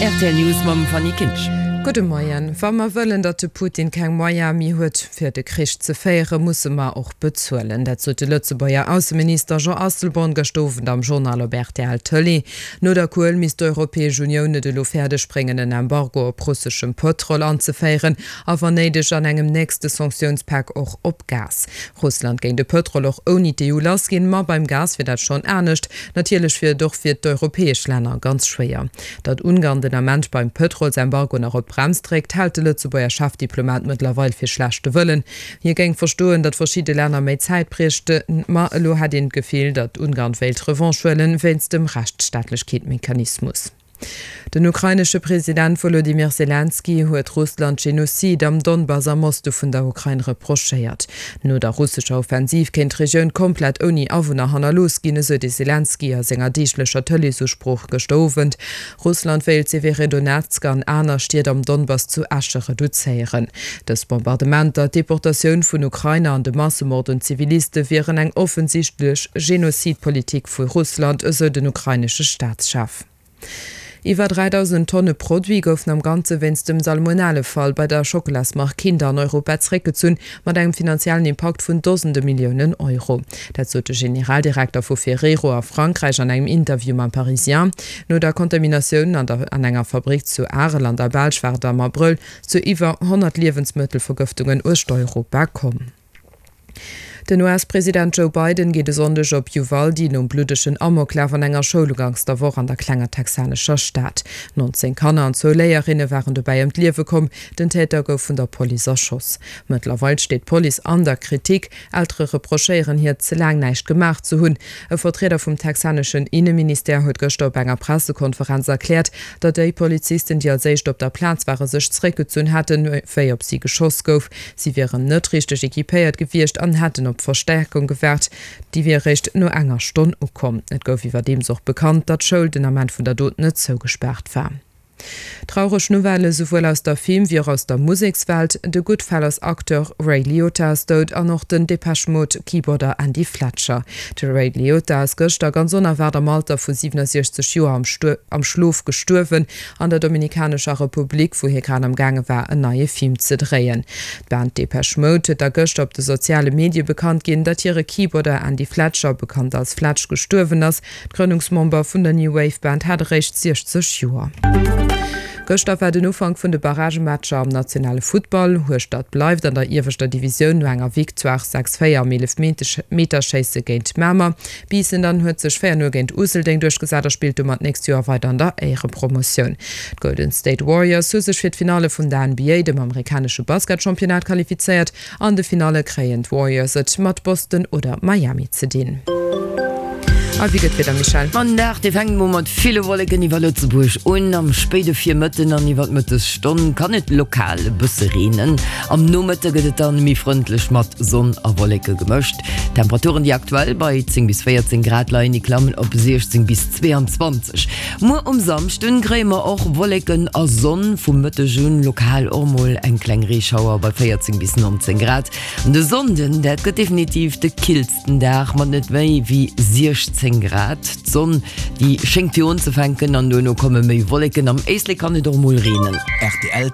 Rtl News mam Fanny Kinsch. Gudde Moien. Wa mer wëllen, datt de Putin keng Moyene méi huet, fir de Krich ze féieren, musse mer och bezuelen. Dat sot de Lëtzebuerger Ausseminister Jean Asselborn gëscht Owend am Journal op rtl Tëlee. No der Kuel misst d'Europäesch Unioun et elo fäerdeg bréngen, en Embargo op russeschem Pëtrol anzeféieren a wann néideg an engem nächste Sanktiounspak och op Gas. Russland géing de Pëtrol och ouni d'EU lassginn, ma beim Gas wier dat schonn anescht. Natierlech wier et och fir d'europäesch Länner ganz schwéier. Datt Ungarn den Ament beim Pëtrolsembargo nach op d'Brems dréckt, hält de Lëtzebuerger Chefdiplomat mëttlerweil fir schlechte Wëllen. Hie géing verstoen, datt verschidde Länner méi Zäit bräichten, ma elo hätt een d'Gefill, datt Ungarn wéilt Revanche huelen, wéinst dem Rechtsstaatlechkeetmechanismus. Den ukrainesche President Wolodymyr Selenskyj huet Russland Genozid am Donbass am Oste vun der Ukrain reprochéiert. No der russescher Offensiv kéint d'Regioun komplett ouni Awunner hannerlooss ginn, esou de Selenskyj a senger deeglecher Tëleesusprooch gëschter Owend. Russland wéilt Severedonetsk an aner Stied am Donbass zu Äsche reduzéieren. Dës Bombardementer, d'Deportatioun vun Ukrainer an de Massemord un Ziviliste wieren eng offensichtlech Genozidpolitik vu Russland, esou den ukrainesche Staatschef. Iwwer 3.000 Tonne Produit goufen am Ganze wéinst dem Salmonellefall bei der Schockelasmark Kinder an Europa zeréckgezunn, mat engem finanziellen Impakt vun Dosende Milliounen Euro. Dat sot de Generaldirekter vu Ferrero a Frankräich an engem Interview mam Parisien. No der Kontaminatioun an der an enger Fabrick zu Arel an der Belsch war et am Abrëll zu iwwer 100 Liewensmëttelvergëftungen uecht Europa komm. Den US-President Joe Biden geet e Sonndeg op Uvalde nom bluddegen Amoklaf an enger Schoul uganks der Woch an der klenger texanescher Stad. 19 Kanner an zwou Léierinne waren dobäi ëm d'Liewe komm. Den Täter gouf vun der Police erschoss. Mëttlerweil steet d'Police an der Kritik. Eltere reprochéieren hir, ze laang näischt gemaach ze hunn. E Vertrieder vum texaneschen Inneministère huet gëschter op enger Pressekonferenz erkläert, datt déi Polizisten, déi als éischt op der Plaz ware sech zeréckgezunn hätten, wéi op si geschoss gouf. Si wieren net richteg equipéiert gewiescht an hätten op Verstäerkung gewaart. Déi wier eréischt no enger Stonn ukomm. Et gouf iwwerdeems och bekannt, datt d'Schoul den Ament vun der Dot net zougespaart war. Traureg Nouvellë souwuel aus der Film wéi och aus der Musekswelt, De Goodfellas-Acteur Ray Liotta ass dout an och den Depeche Mode-Keyboarder Andy Fletcher. De Ray Liotta ass gëschter ganz onerwaart am Alter vu 67 Joer am Schlof gestuerwen. An der Dominikanescher Republik, wou hie grad am gaange war en neie Film ze dréien. D'Band Depeche Mode huet da gëschter op de soziale Medie bekannt ginn, datt hire Keyboarder Andy Fletcher, bekannt als Fletch, gestuerwen ass. D'Grënnungsmember vun der New Wave Band hat eréischt 60 Joer. Gëschter war den Ufank vun de Barragematcher am nationale Futtball. Hueschtert bleift an der ieweschter Divisioun no enger Victoire 6, 4 am Eelefmeterschéisse géint Mamer. Biissen dann huet sech 4, 0 géint Useldeng duerchgesat a spillt domat d'nächst Joer weider an der Éierepromotioun. D'Golden State Warriors hu sech fir d'Finalle vun der NBA, dem amerikanesche Basketchampionnat, qualifizéiert. An de Finalle kréien d'Warriors et mat Boston oder Miami ze dinn. A wéi gëtt d'Wieder, Michèle? Ma den Dag, dee fänkt mol mat ville Wolleken iwwer Lëtzebuerg un. Am spéide Virmëtten an iwwer d'Mëttesstonn kann et lokal e bësse reenen. Am Nomëtte gëtt et dann méi frëndlech mat Sonn a Wolleke gemëscht. D'Temperaturen, déi aktuell bei 10 bis 14 Grad leien, déi klammen op 16 bis 22. Muer um Samschden kréie mer och Wolleken a Sonn, vum Mëtteg un lokal och mol eng kleng Reeschauer bei 14 bis 19 Grad. An de Sonnden, dat gëtt definitiv de killsten Dag mat net méi wéi 16 Grad. D'Sonn, déi schéngt fir unzefänken an duerno komme méi Wolleken, am Éislek kann et och mol reenen. Rtl.